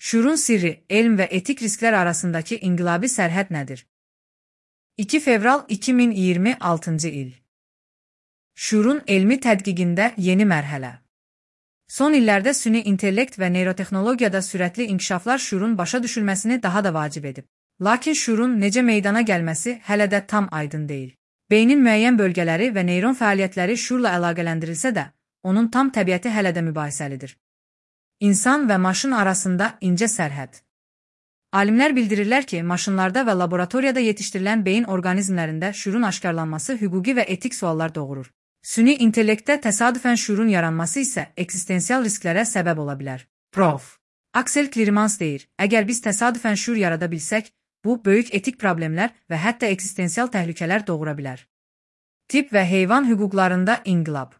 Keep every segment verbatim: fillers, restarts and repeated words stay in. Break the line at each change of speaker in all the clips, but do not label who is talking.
Şuurun sirri, elm və etik risklər arasındakı inqilabi sərhəd nədir? iki fevral iki min iyirmi altıncı il. Şuurun elmi tədqiqində yeni mərhələ. Son illərdə süni intellekt və neyrotexnologiyada sürətli inkişaflar şuurun başa düşülməsini daha da vacib edib. Lakin şuurun necə meydana gəlməsi hələ də tam aydın deyil. Beynin müəyyən bölgələri və neyron fəaliyyətləri şuurla əlaqələndirilsə də, onun tam təbiəti hələ də mübahisəlidir. İnsan və maşın arasında incə sərhəd. Alimlər bildirirlər ki, maşınlarda və laboratoriyada yetişdirilən beyin orqanizmlərində şuurun aşkarlanması hüquqi və etik suallar doğurur. Süni intellektdə təsadüfən şuurun yaranması isə eksistensial risklərə səbəb ola bilər. Prof. Aksel Clearmans deyir, əgər biz təsadüfən şuur yarada bilsək, bu, böyük etik problemlər və hətta eksistensial təhlükələr doğura bilər. Tip və heyvan hüquqlarında inqilab.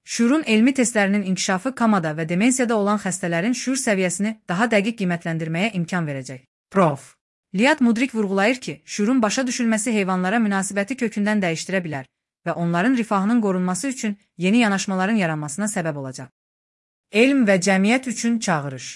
Şuurun elmi testlərinin inkişafı komada və demensiyada olan xəstələrin şuur səviyyəsini daha dəqiq qiymətləndirməyə imkan verəcək. Prof. Liad Mudrik vurğulayır ki, şuurun başa düşülməsi heyvanlara münasibəti kökündən dəyişdirə bilər və onların rifahının qorunması üçün yeni yanaşmaların yaranmasına səbəb olacaq. Elm və cəmiyyət üçün çağırış.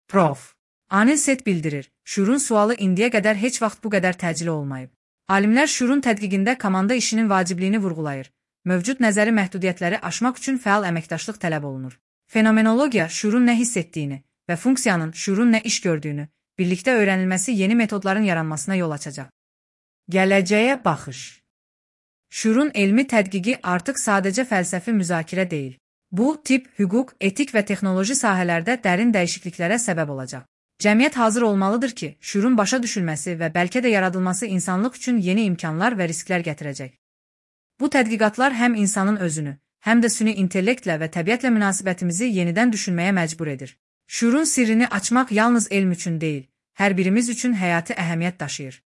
Prof. Anil Set bildirir, şuurun sualı indiyə qədər heç vaxt bu qədər təcili olmayıb. Alimlər şuurun tədqiqində komanda işinin vacibliyini vurğulayır. Mövcud nəzəri məhdudiyyətləri aşmaq üçün fəal əməkdaşlıq tələb olunur. Fenomenologiya şuurun nə hiss etdiyini və funksiyanın şuurun nə iş gördüyünü birlikdə öyrənilməsi yeni metodların yaranmasına yol açacaq. Gələcəyə baxış. Şuurun elmi tədqiqi artıq sadəcə fəlsəfi müzakirə deyil. Bu, tip, hüquq, etik və texnoloji sahələrdə dərin dəyişikliklərə səbəb olacaq. Cəmiyyət hazır olmalıdır ki, şuurun başa düşülməsi və bəlkə də yaradılması insanlıq üçün yeni imkanlar və risklər gətirəcək. Bu tədqiqatlar həm insanın özünü, həm də süni intellektlə və təbiətlə münasibətimizi yenidən düşünməyə məcbur edir. Şuurun sirrini açmaq yalnız elm üçün deyil, hər birimiz üçün həyati əhəmiyyət daşıyır.